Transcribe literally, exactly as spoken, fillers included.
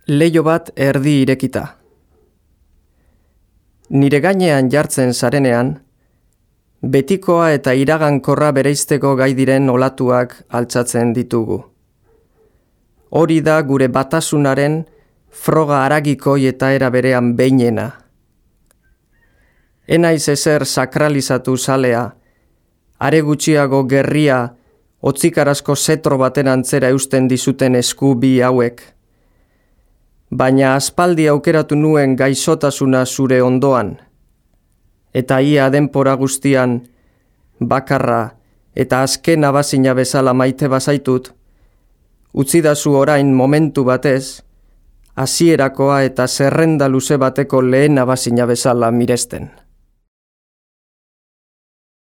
Leiho bat erdi irekita. Nire gainean jartzen zarenean, betikoa eta iragankorra bereizteko gai diren olatuak altxatzen ditugu. Hori da gure batasunaren froga haragikoi eta era berean behinena. Enaiz ezer sakralizatu zalea, are gutxiago gerria otzikarazko zetro baten antzera eusten dizuten esku bi hauek. Baina aspaldi aukeratu nuen gaixotasuna zure ondoan, eta ia denpora guztian, bakarra eta azken abazina bezala maite bazaitut, utzidazu orain momentu batez, hasierakoa eta zerrenda luze bateko lehen abazina bezala miresten.